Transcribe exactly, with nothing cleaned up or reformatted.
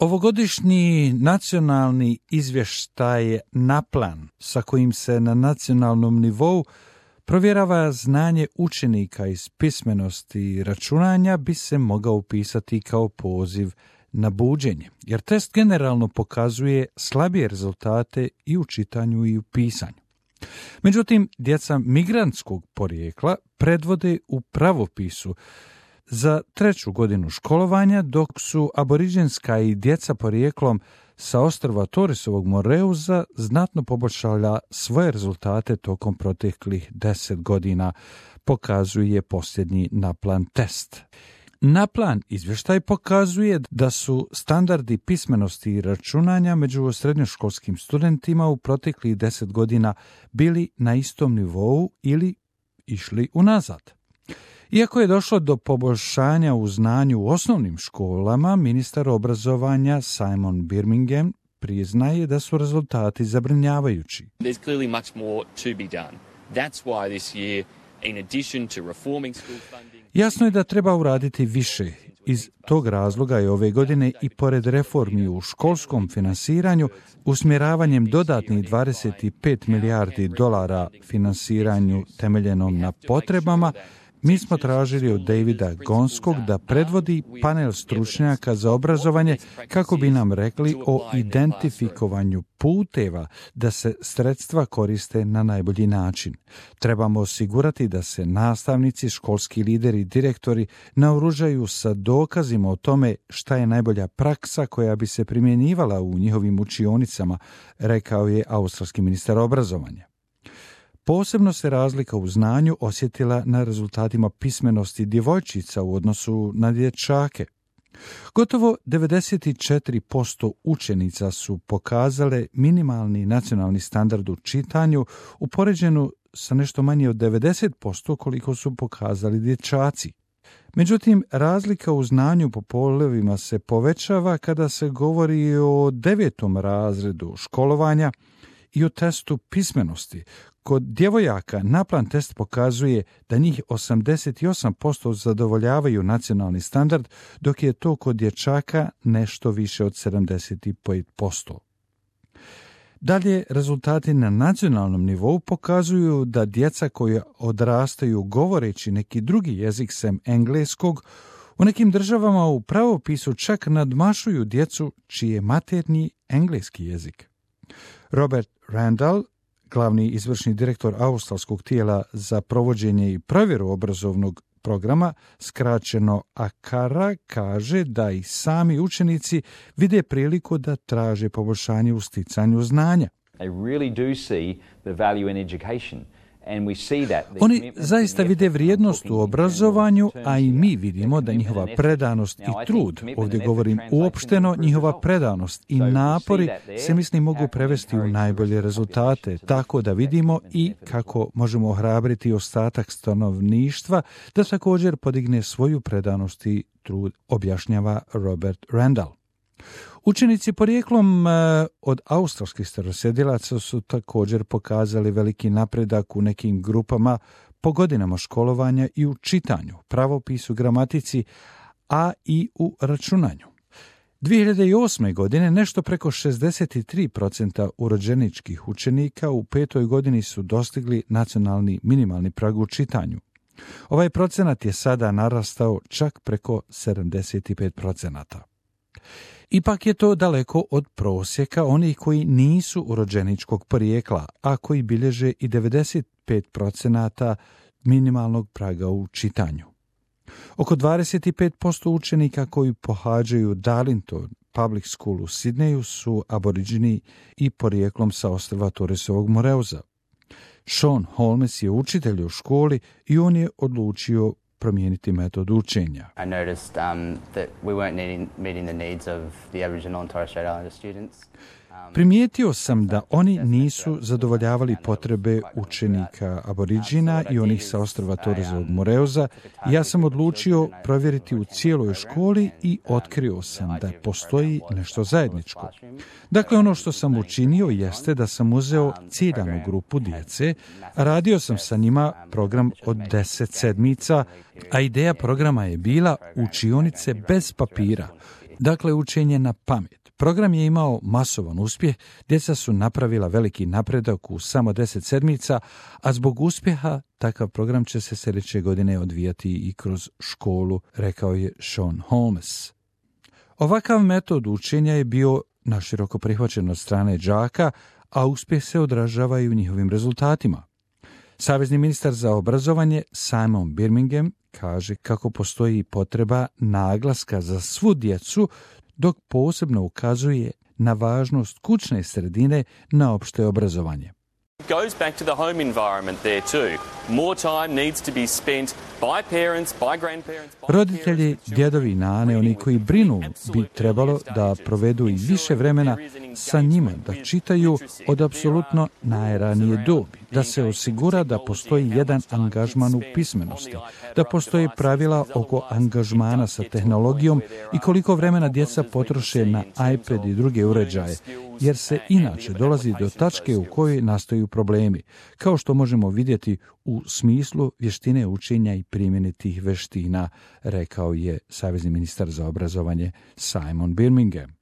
Ovogodišnji nacionalni izvještaj NAPLAN, sa kojim se na nacionalnom nivou provjerava znanje učenika iz pismenosti i računanja, bi se mogao upisati kao poziv na buđenje, jer test generalno pokazuje slabije rezultate i u čitanju i u pisanju. Međutim, djeca migrantskog porijekla predvode u pravopisu za treću godinu školovanja, dok su aboriđenska i djeca porijeklom sa ostrva Torresovog Moreuza znatno poboljšala svoje rezultate tokom proteklih deset godina, pokazuje posljednji NAPLAN test. NAPLAN izvještaj pokazuje da su standardi pismenosti i računanja među srednjoškolskim studentima u proteklih deset godina bili na istom nivou ili išli unazad. Iako je došlo do poboljšanja u znanju u osnovnim školama, ministar obrazovanja Simon Birmingham priznaje da su rezultati zabrinjavajući. There's clearly much more to be done. That's why this year, in addition to reforming school funding... Jasno je da treba uraditi više. Iz tog razloga je ove godine i pored reformi u školskom finansiranju, usmjeravanjem dodatnih dvadeset pet milijardi dolara finansiranju temeljenom na potrebama, mi smo tražili od Davida Gonskog da predvodi panel stručnjaka za obrazovanje kako bi nam rekli o identifikovanju puteva da se sredstva koriste na najbolji način. Trebamo osigurati da se nastavnici, školski lideri i direktori naoružaju sa dokazima o tome šta je najbolja praksa koja bi se primjenjivala u njihovim učionicama, rekao je australski ministar obrazovanja. Posebno se razlika u znanju osjetila na rezultatima pismenosti djevojčica u odnosu na dječake. Gotovo devedeset četiri posto učenica su pokazale minimalni nacionalni standard u čitanju, upoređenu sa nešto manje od devedeset posto koliko su pokazali dječaci. Međutim, razlika u znanju po polovima se povećava kada se govori o devetom razredu školovanja i o testu pismenosti. Kod djevojaka NAPLAN test pokazuje da njih osamdeset osam posto zadovoljavaju nacionalni standard, dok je to kod dječaka nešto više od sedamdeset pet posto. Dalje, rezultati na nacionalnom nivou pokazuju da djeca koja odrastaju govoreći neki drugi jezik sem engleskog, u nekim državama u pravopisu čak nadmašuju djecu čiji je maternji engleski jezik. Robert Randall, glavni izvršni direktor australskog tijela za provođenje i provjeru obrazovnog programa, skraćeno ACARA, kaže da i sami učenici vide priliku da traže poboljšanje u sticanju znanja. They really do see the value in education. Oni zaista vide vrijednost u obrazovanju, a i mi vidimo da njihova predanost i trud, ovdje govorim uopšteno, njihova predanost i napori se mislim mogu prevesti u najbolje rezultate, tako da vidimo i kako možemo ohrabriti ostatak stanovništva da također podigne svoju predanost i trud, objašnjava Robert Randall. Učenici porijeklom od australskih starosjedilaca su također pokazali veliki napredak u nekim grupama po godinama školovanja i u čitanju, pravopisu, gramatici, a i u računanju. dvije hiljade osme. godine nešto preko šezdeset tri posto urođeničkih učenika u petoj godini su dostigli nacionalni minimalni prag u čitanju. Ovaj procenat je sada narastao čak preko sedamdeset pet posto. Ipak je to daleko od prosjeka onih koji nisu urođeničkog porijekla, a koji bilježe i devedeset pet posto minimalnog praga u čitanju. Oko dvadeset pet posto učenika koji pohađaju Darlington Public School u Sidneju su aboriđini i porijeklom sa ostrva Torresovog Moreuza. Sean Holmes je učitelj u školi i on je odlučio promijeniti metod učenja. I noticed um, that we weren't needing, meeting the needs of the Aboriginal and Torres Strait Islander students. Primijetio sam da oni nisu zadovoljavali potrebe učenika aboriđina i onih sa ostrva Torresovog Moreuza. Ja sam odlučio provjeriti u cijeloj školi i otkrio sam da postoji nešto zajedničko. Dakle, ono što sam učinio jeste da sam uzeo ciljanu grupu djece, radio sam sa njima program od deset sedmica, a ideja programa je bila učionice bez papira. Dakle, učenje na pamet. Program je imao masovan uspjeh, djeca su napravila veliki napredak u samo deset sedmica, a zbog uspjeha takav program će se sljedeće godine odvijati i kroz školu, rekao je Sean Holmes. Ovakav metod učenja je bio naširoko prihvaćen od strane đaka, a uspjeh se odražava i u njihovim rezultatima. Savezni ministar za obrazovanje Simon Birmingham kaže kako postoji potreba naglaska za svu djecu, dok posebno ukazuje na važnost kućne sredine na opšte obrazovanje. It goes back to the home environment there too. More time needs to be spent by parents, by grandparents, by Roditelji, djedovi i nane, oni koji brinu, bi trebalo da provedu i više vremena sa njima, da čitaju od apsolutno najranije dobi, da se osigura da postoji jedan angažman u pismenosti, da postoje pravila oko angažmana sa tehnologijom i koliko vremena djeca potroše na iPad i druge uređaje, jer se inače dolazi do tačke u kojoj nastaju problemi, kao što možemo vidjeti u smislu vještine učenja i primjene tih veština, rekao je savezni ministar za obrazovanje Simon Birmingham.